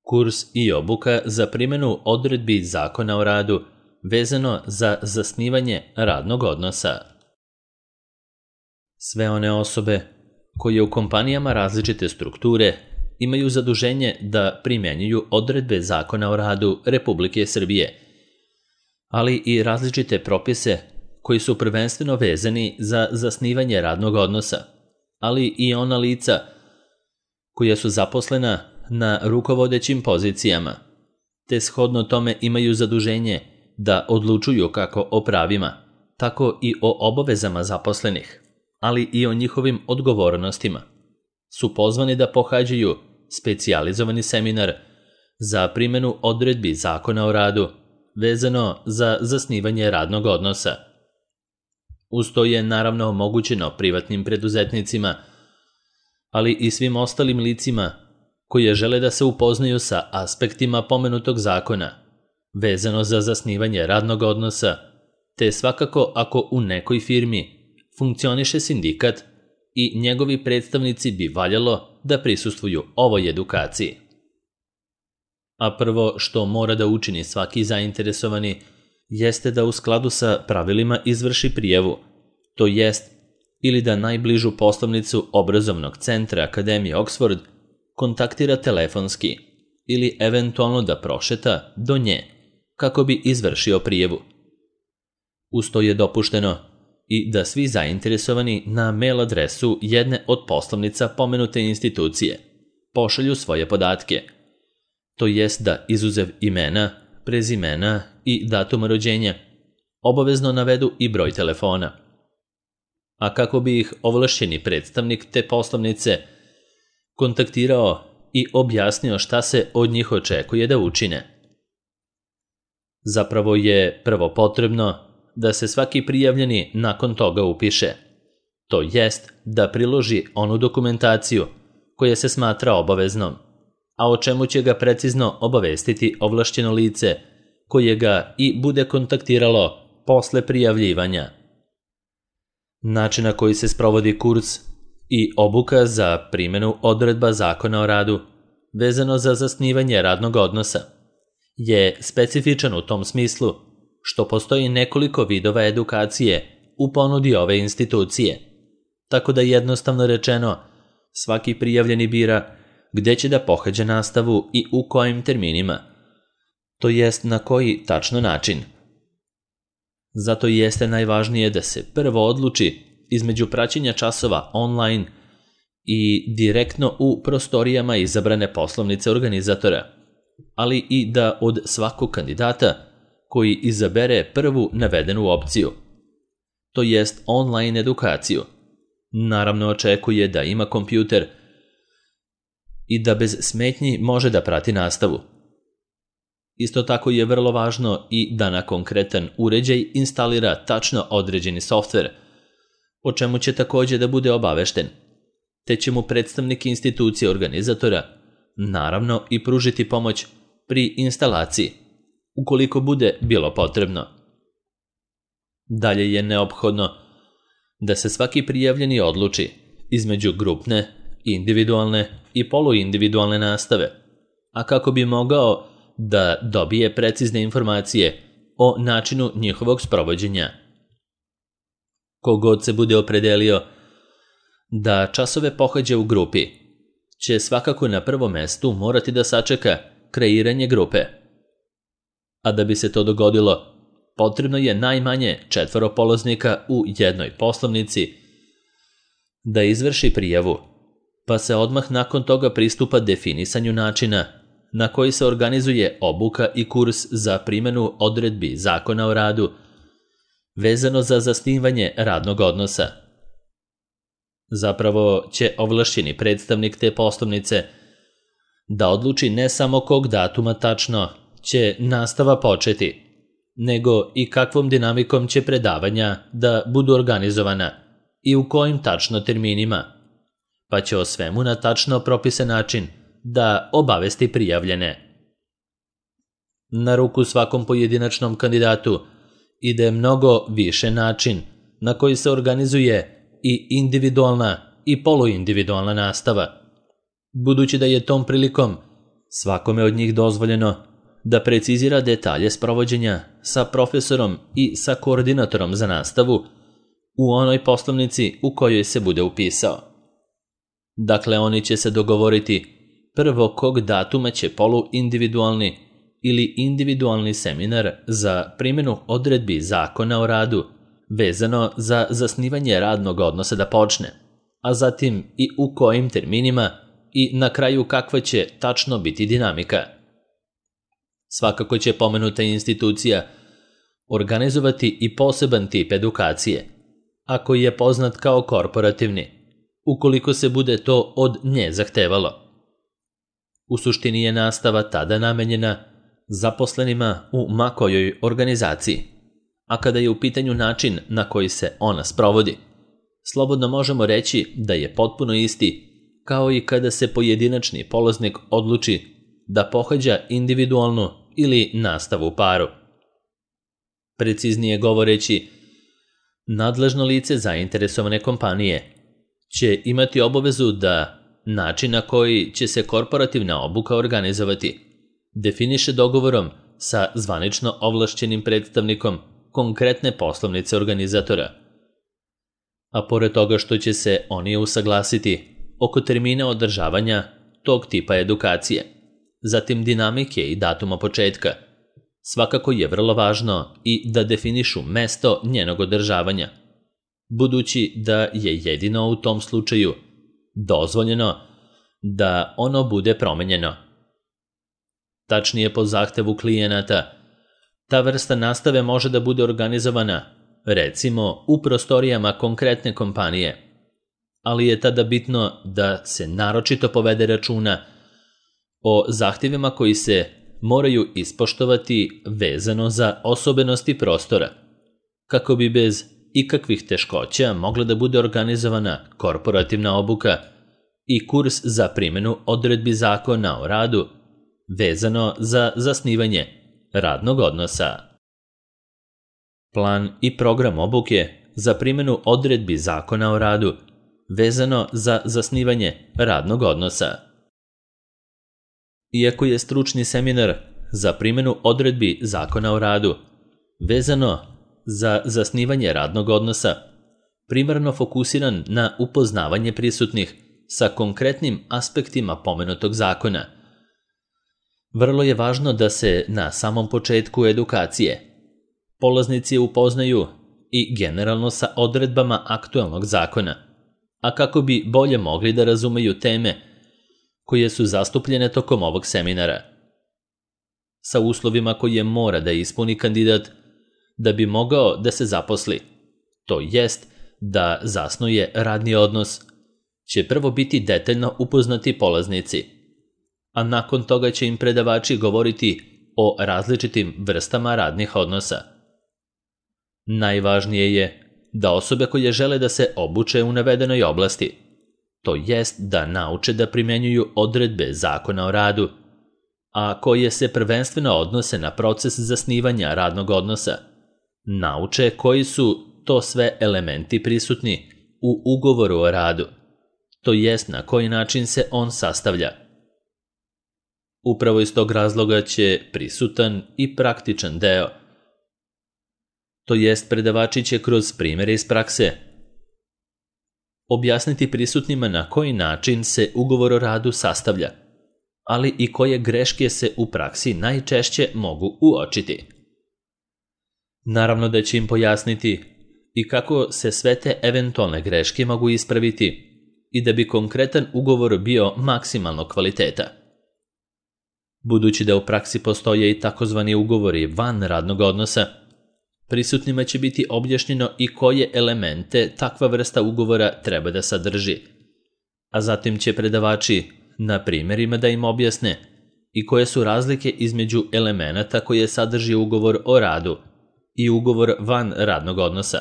kurs i obuka za primjenu odredbi Zakona o radu vezano za zasnivanje radnog odnosa. Sve one osobe koje u kompanijama različite strukture imaju zaduženje da primjenjuju odredbe Zakona o radu Republike Srbije, ali i različite propise koji su prvenstveno vezani za zasnivanje radnog odnosa, ali i ona lica koja su zaposlena na rukovodećim pozicijama, te shodno tome imaju zaduženje da odlučuju kako o pravima, tako i o obavezama zaposlenih, ali i o njihovim odgovornostima, su pozvani da pohađaju specijalizovani seminar za primjenu odredbi Zakona o radu vezano za zasnivanje radnog odnosa. Uz to je naravno omogućeno privatnim preduzetnicima, ali i svim ostalim licima koje žele da se upoznaju sa aspektima pomenutog zakona vezano za zasnivanje radnog odnosa, te svakako ako u nekoj firmi funkcioniše sindikat i njegovi predstavnici bi valjalo da prisustvuju ovoj edukaciji. A prvo što mora da učini svaki zainteresovani jeste da u skladu sa pravilima izvrši prijavu, to jest ili da najbližu poslovnicu obrazovnog centra Akademije Oxford kontaktira telefonski ili eventualno da prošeta do nje kako bi izvršio prijavu. Uz to je dopušteno i da svi zainteresovani na mail adresu jedne od poslovnica pomenute institucije pošalju svoje podatke, to jest da izuzev imena, prezimena i datuma rođenja obavezno navedu i broj telefona. A kako bi ih ovlašćeni predstavnik te poslovnice kontaktirao i objasnio šta se od njih očekuje da učine. Zapravo je prvo potrebno da se svaki prijavljeni nakon toga upiše, to jest da priloži onu dokumentaciju koja se smatra obaveznom, a o čemu će ga precizno obavestiti ovlašćeno lice koje ga i bude kontaktiralo posle prijavljivanja. Način na koji se sprovodi kurs i obuka za primjenu odredba Zakona o radu vezano za zasnivanje radnog odnosa je specifičan u tom smislu što postoji nekoliko vidova edukacije u ponudi ove institucije, tako da jednostavno rečeno svaki prijavljeni bira gde će da pohađa nastavu i u kojim terminima, to jest na koji tačno način. Zato jeste najvažnije da se prvo odluči između praćenja časova online i direktno u prostorijama izabrane poslovnice organizatora, ali i da od svakog kandidata koji izabere prvu navedenu opciju, to jest online edukaciju, naravno očekuje da ima kompjuter i da bez smetnji može da prati nastavu. Isto tako je vrlo važno i da na konkretan uređaj instalira tačno određeni softver, o čemu će također da bude obavešten, te će mu predstavnik institucije organizatora naravno i pružiti pomoć pri instalaciji, ukoliko bude bilo potrebno. Dalje je neophodno da se svaki prijavljeni odluči između grupne, individualne i poluindividualne nastave, a kako bi mogao da dobije precizne informacije o načinu njihovog sprovođenja. Kogod se bude opredelio da časove pohađa u grupi, će svakako na prvom mestu morati da sačeka kreiranje grupe. A da bi se to dogodilo, potrebno je najmanje 4 polaznika u jednoj poslovnici da izvrši prijavu, pa se odmah nakon toga pristupa definisanju načina na koji se organizuje obuka i kurs za primjenu odredbi Zakona o radu vezano za zasnivanje radnog odnosa. Zapravo će ovlašćeni predstavnik te poslovnice da odluči ne samo kog datuma tačno će nastava početi, nego i kakvom dinamikom će predavanja da budu organizovana i u kojim tačno terminima, pa će o svemu na tačno propisan način da obavesti prijavljene. Na ruku svakom pojedinačnom kandidatu ide mnogo više način na koji se organizuje i individualna i poluindividualna nastava, budući da je tom prilikom Svakome od njih dozvoljeno da precizira detalje sprovođenja sa profesorom i sa koordinatorom za nastavu u onoj poslovnici u kojoj se bude upisao. Dakle, oni će se dogovoriti prvo kog datuma će poluindividualni ili individualni seminar za primjenu odredbi Zakona o radu vezano za zasnivanje radnog odnosa da počne, a zatim i u kojim terminima i na kraju kakva će tačno biti dinamika. Svakako će pomenuta institucija organizovati i poseban tip edukacije, a koji je poznat kao korporativni, ukoliko se bude to od nje zahtevalo. U suštini je nastava tada namenjena zaposlenima u ma kojoj organizaciji, a kada je u pitanju način na koji se ona sprovodi, slobodno možemo reći da je potpuno isti kao i kada se pojedinačni polaznik odluči da pohađa individualnu ili nastavu u paru. Preciznije govoreći, nadležno lice zainteresovane kompanije će imati obavezu da način na koji će se korporativna obuka organizovati definiše dogovorom sa zvanično ovlašćenim predstavnikom konkretne poslovnice organizatora. A pored toga što će se oni usaglasiti oko termina održavanja tog tipa edukacije, zatim dinamike i datuma početka, svakako je vrlo važno i da definišu mesto njenog održavanja, budući da je jedino u tom slučaju dozvoljeno da ono bude promenjeno. Tačnije, po zahtevu klijenata, ta vrsta nastave može da bude organizovana, recimo, u prostorijama konkretne kompanije, ali je tada bitno da se naročito povede računa o zahtjevima koji se moraju ispoštovati vezano za osobenosti prostora, kako bi bez ikakvih teškoća mogla da bude organizovana korporativna obuka i kurs za primjenu odredbi Zakona o radu vezano za zasnivanje radnog odnosa. Plan i program obuke za primjenu odredbi Zakona o radu vezano za zasnivanje radnog odnosa. Iako je stručni seminar za primjenu odredbi Zakona o radu vezano za zasnivanje radnog odnosa primarno fokusiran na upoznavanje prisutnih sa konkretnim aspektima pomenutog zakona, vrlo je važno da se na samom početku edukacije polaznici upoznaju i generalno sa odredbama aktualnog zakona, a kako bi bolje mogli da razumeju teme koje su zastupljene tokom ovog seminara, sa uslovima koje mora da ispuni kandidat da bi mogao da se zaposli, to jest da zasnuje radni odnos, će prvo biti detaljno upoznati polaznici, a nakon toga će im predavači govoriti o različitim vrstama radnih odnosa. Najvažnije je da osobe koje žele da se obuče u navedenoj oblasti, to jest da nauče da primjenjuju odredbe Zakona o radu, a koje se prvenstveno odnose na proces zasnivanja radnog odnosa, nauče koji su to sve elementi prisutni u ugovoru o radu, to jest na koji način se on sastavlja. Upravo iz tog razloga će prisutan i praktičan deo, to jest predavači će kroz primjere iz prakse objasniti prisutnima na koji način se ugovor o radu sastavlja, ali i koje greške se u praksi najčešće mogu uočiti. Naravno da će im pojasniti i kako se sve te eventualne greške mogu ispraviti i da bi konkretan ugovor bio maksimalno kvaliteta. Budući da u praksi postoje i takozvani ugovori van radnog odnosa, prisutnima će biti objašnjeno i koje elemente takva vrsta ugovora treba da sadrži, a zatim će predavači na primjerima da im objasne i koje su razlike između elemenata koje sadrži ugovor o radu i ugovor van radnog odnosa.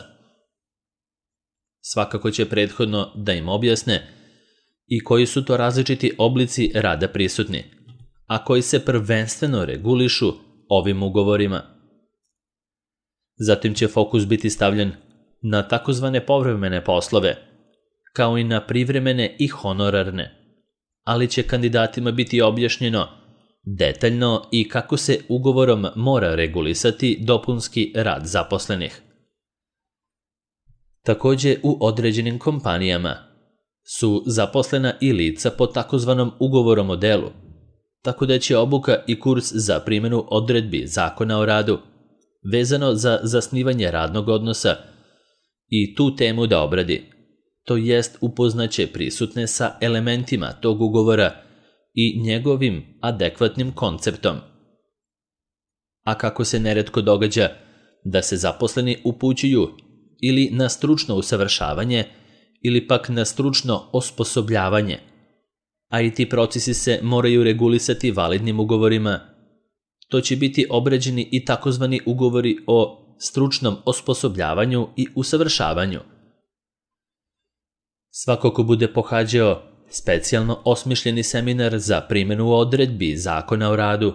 Svakako će prethodno da im objasne i koji su to različiti oblici rada prisutni, a koji se prvenstveno regulišu ovim ugovorima. Zatim će fokus biti stavljen na takozvane povremene poslove, kao i na privremene i honorarne, ali će kandidatima biti objašnjeno detaljno i kako se ugovorom mora regulisati dopunski rad zaposlenih. Također u određenim kompanijama su zaposlena i lica po takozvanom ugovorom o delu, tako da će obuka i kurs za primjenu odredbi Zakona o radu vezano za zasnivanje radnog odnosa i tu temu da obradi, to jest upoznaće prisutne sa elementima tog ugovora i njegovim adekvatnim konceptom. A kako se neretko događa da se zaposleni upućuju ili na stručno usavršavanje ili pak na stručno osposobljavanje, a i ti procesi se moraju regulisati validnim ugovorima, to će biti obrađeni i takozvani ugovori o stručnom osposobljavanju i usavršavanju. Svako ko bude pohađao specijalno osmišljeni seminar za primjenu odredbi Zakona o radu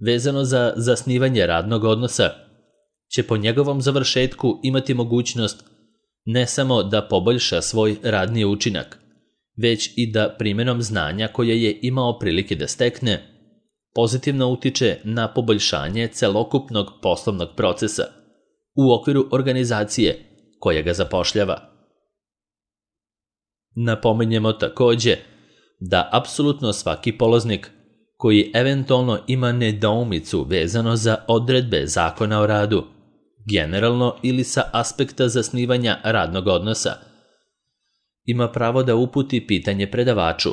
vezano za zasnivanje radnog odnosa će po njegovom završetku imati mogućnost ne samo da poboljša svoj radni učinak, već i da primjenom znanja koje je imao prilike da stekne pozitivno utiče na poboljšanje celokupnog poslovnog procesa u okviru organizacije koja ga zapošljava. Napominjemo također da apsolutno svaki polaznik koji eventualno ima nedoumicu vezano za odredbe Zakona o radu, generalno ili sa aspekta zasnivanja radnog odnosa, ima pravo da uputi pitanje predavaču,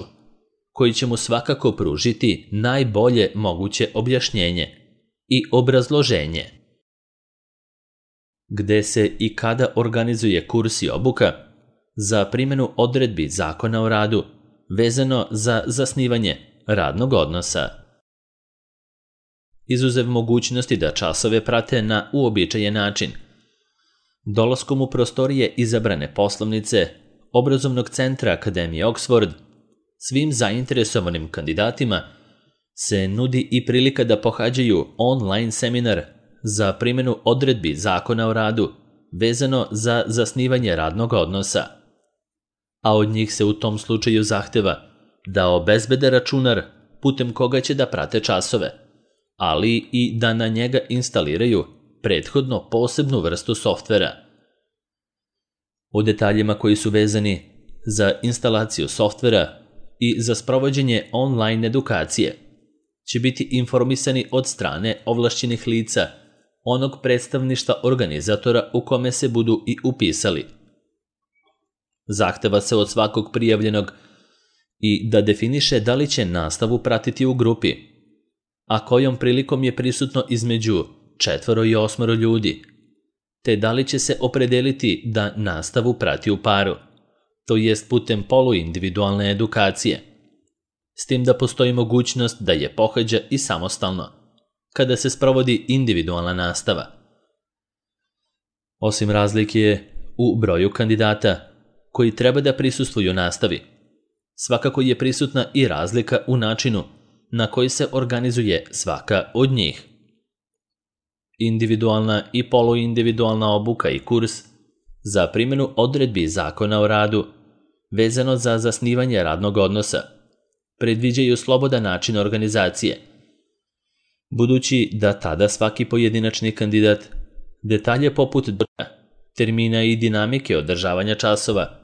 koji će mu svakako pružiti najbolje moguće objašnjenje i obrazloženje. Gde se i kada organizuje kurs i obuka za primjenu odredbi Zakona o radu vezano za zasnivanje radnog odnosa. Izuzev mogućnosti da časove prate na uobičajen način, dolaskom u prostorije izabrane poslovnice Obrazovnog centra Akademije Oxford, svim zainteresovanim kandidatima se nudi i prilika da pohađaju online seminar za primjenu odredbi Zakona o radu vezano za zasnivanje radnog odnosa, a od njih se u tom slučaju zahteva da obezbede računar putem koga će da prate časove, ali i da na njega instaliraju prethodno posebnu vrstu softvera. O detaljima koji su vezani za instalaciju softvera i za sprovođenje online edukacije će biti informisani od strane ovlašćenih lica onog predstavništva organizatora u kome se budu i upisali. Zahteva se od svakog prijavljenog i da definiše da li će nastavu pratiti u grupi, a kojom prilikom je prisutno između 4 i 8 ljudi, te da li će se opredeliti da nastavu prati u paru, to jest putem poluindividualne edukacije, s tim da postoji mogućnost da je pohađa i samostalno, kada se sprovodi individualna nastava. Osim razlike u broju kandidata koji treba da prisustvuju nastavi, svakako je prisutna i razlika u načinu na koji se organizuje svaka od njih. Individualna i poluindividualna obuka i kurs za primjenu odredbi Zakona o radu vezano za zasnivanje radnog odnosa predviđaju slobodan način organizacije, budući da tada svaki pojedinačni kandidat detalje poput termina i dinamike održavanja časova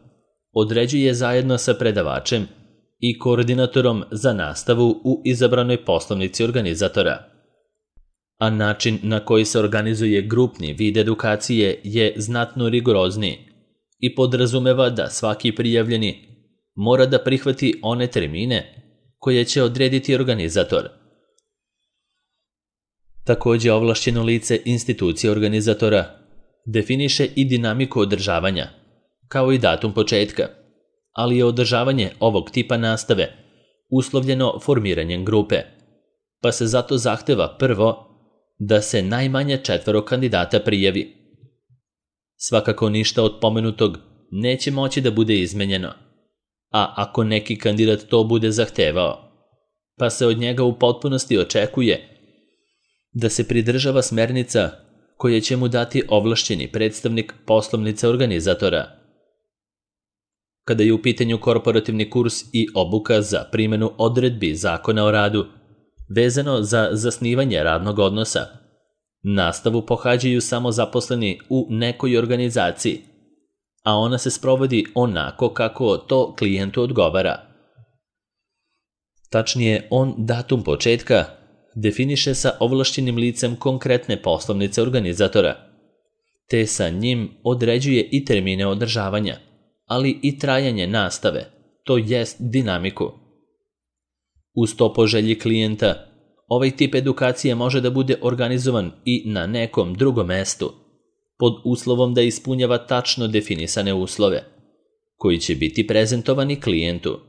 određuje zajedno sa predavačem i koordinatorom za nastavu u izabranoj poslovnici organizatora. A način na koji se organizuje grupni vid edukacije je znatno rigorozniji i podrazumeva da svaki prijavljeni mora da prihvati one termine koje će odrediti organizator. Također ovlašćeno lice institucije organizatora definiše i dinamiku održavanja, kao i datum početka, ali je održavanje ovog tipa nastave uslovljeno formiranjem grupe, pa se zato zahteva prvo da se najmanje 4 kandidata prijavi. Svakako ništa od pomenutog neće moći da bude izmenjeno, a ako neki kandidat to bude zahtevao, pa se od njega u potpunosti očekuje da se pridržava smernica koje će mu dati ovlašćeni predstavnik poslovnice organizatora. Kada je u pitanju korporativni kurs i obuka za primjenu odredbi Zakona o radu vezano za zasnivanje radnog odnosa. Nastavu pohađaju samo zaposleni u nekoj organizaciji, a ona se sprovodi onako kako to klijentu odgovara. Tačnije, on datum početka definiše sa ovlašćenim licem konkretne poslovnice organizatora, te sa njim određuje i termine održavanja, ali i trajanje nastave, to jest dinamiku. Uz to po želji klijenta, ovaj tip edukacije može da bude organizovan i na nekom drugom mestu, pod uslovom da ispunjava tačno definisane uslove, koji će biti prezentovani klijentu.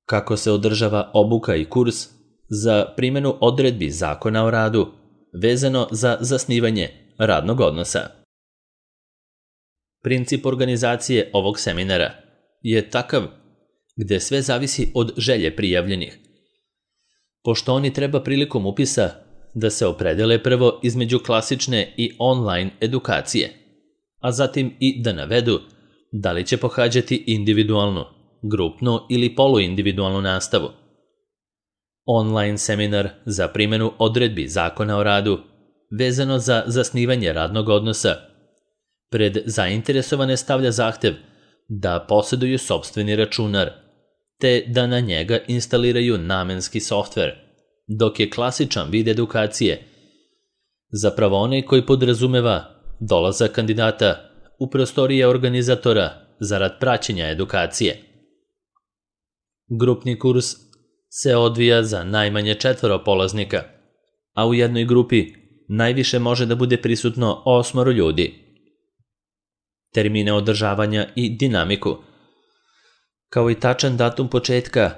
Kako se održava obuka i kurs za primjenu odredbi Zakona o radu, vezano za zasnivanje radnog odnosa. Princip organizacije ovog seminara je takav gde sve zavisi od želje prijavljenih, pošto oni treba prilikom upisa da se opredele prvo između klasične i online edukacije, a zatim i da navedu da li će pohađati individualnu, grupnu ili poluindividualnu nastavu. Online seminar za primjenu odredbi Zakona o radu, vezano za zasnivanje radnog odnosa, pred zainteresovane stavlja zahtev da posjeduju sopstveni računar, te da na njega instaliraju namenski softver, dok je klasičan vid edukacije zapravo onaj koji podrazumeva dolazak kandidata u prostorije organizatora zarad praćenja edukacije. Grupni kurs se odvija za najmanje 4 polaznika, a u jednoj grupi najviše može da bude prisutno 8 ljudi. Termine održavanja i dinamiku, kao i tačan datum početka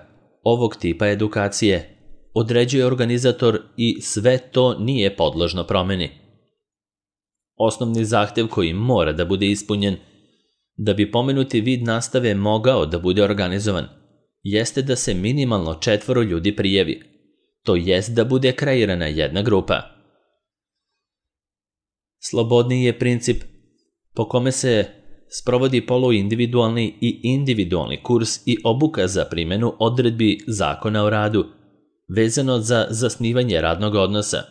ovog tipa edukacije, određuje organizator i sve to nije podložno promeni. Osnovni zahtev koji mora da bude ispunjen da bi pomenuti vid nastave mogao da bude organizovan jeste da se minimalno 4 ljudi prijavi, to jest da bude kreirana jedna grupa. Slobodniji je princip po kome se sprovodi poluindividualni i individualni kurs i obuka za primjenu odredbi Zakona o radu, vezano za zasnivanje radnog odnosa,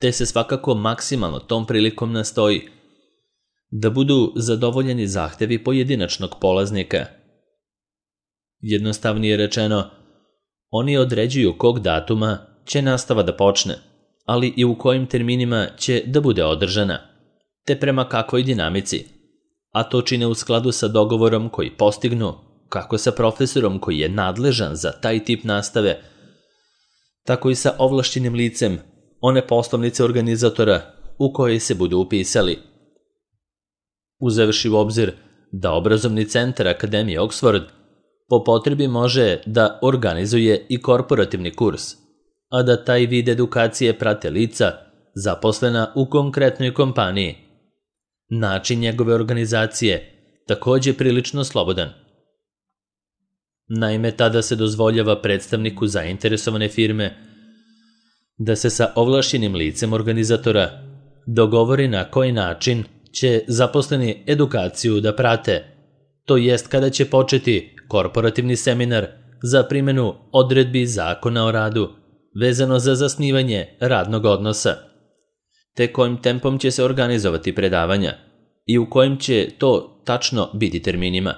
te se svakako maksimalno tom prilikom nastoji da budu zadovoljeni zahtevi pojedinačnog polaznika. Jednostavnije rečeno, oni određuju kog datuma će nastava da počne, ali i u kojim terminima će da bude održana, te prema kakvoj dinamici, a to čine u skladu sa dogovorom koji postignu kako sa profesorom koji je nadležan za taj tip nastave, tako i sa ovlašćenim licem one poslovnice organizatora u kojoj se budu upisali. Uzevši u obzir da obrazovni centar Akademije Oxford po potrebi može da organizuje i korporativni kurs, a da taj vid edukacije prate lica zaposlena u konkretnoj kompaniji. Način njegove organizacije takođe prilično slobodan. Naime, tada se dozvoljava predstavniku zainteresovane firme da se sa ovlašćenim licem organizatora dogovori na koji način će zaposleni edukaciju da prate, to jest kada će početi korporativni seminar za primjenu odredbi Zakona o radu vezano za zasnivanje radnog odnosa, te kojim tempom će se organizovati predavanja i u kojim će to tačno biti terminima.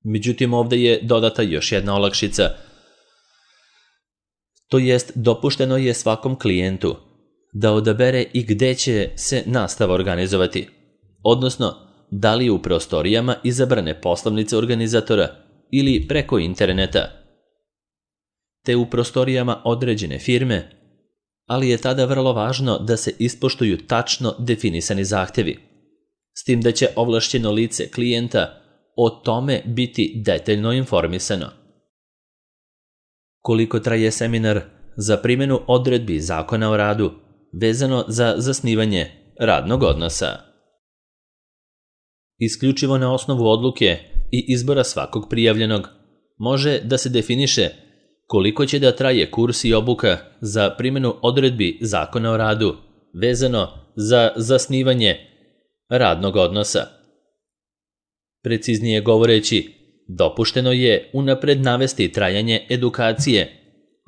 Međutim, ovde je dodata još jedna olakšica, to jest dopušteno je svakom klijentu da odabere i gde će se nastava organizovati, odnosno da li u prostorijama izabrane poslovnice organizatora ili preko interneta, te u prostorijama određene firme, ali je tada vrlo važno da se ispoštuju tačno definisani zahtevi, s tim da će ovlašćeno lice klijenta o tome biti detaljno informisano. Koliko traje seminar za primjenu odredbi Zakona o radu vezano za zasnivanje radnog odnosa? Isključivo na osnovu odluke i izbora svakog prijavljenog može da se definiše koliko će da traje kurs i obuka za primjenu odredbi Zakona o radu vezano za zasnivanje radnog odnosa. Preciznije govoreći, dopušteno je unapred navesti trajanje edukacije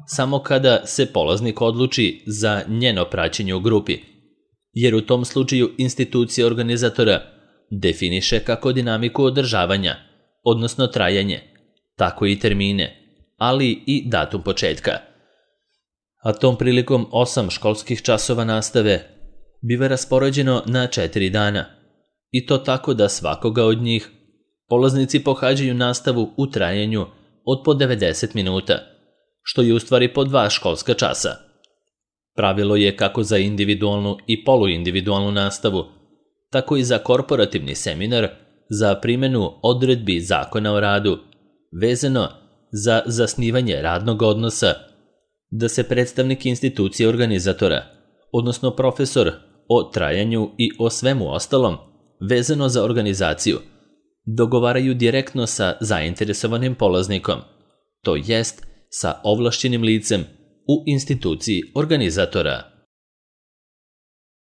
samo kada se polaznik odluči za njeno praćenje u grupi, jer u tom slučaju institucija organizatora definiše kako dinamiku održavanja, odnosno trajanje, tako i termine, ali i datum početka. A tom prilikom 8 školskih časova nastave biva raspoređeno na 4 dana, i to tako da svakoga od njih polaznici pohađaju nastavu u trajanju od po 90 minuta, što je u stvari po 2 školska časa. Pravilo je kako za individualnu i poluindividualnu nastavu, tako i za korporativni seminar za primjenu odredbi Zakona o radu, vezano za zasnivanje radnog odnosa, da se predstavnik institucije organizatora, odnosno profesor, o trajanju i o svemu ostalom, vezano za organizaciju, dogovaraju direktno sa zainteresovanim polaznikom, to jest sa ovlašćenim licem u instituciji organizatora.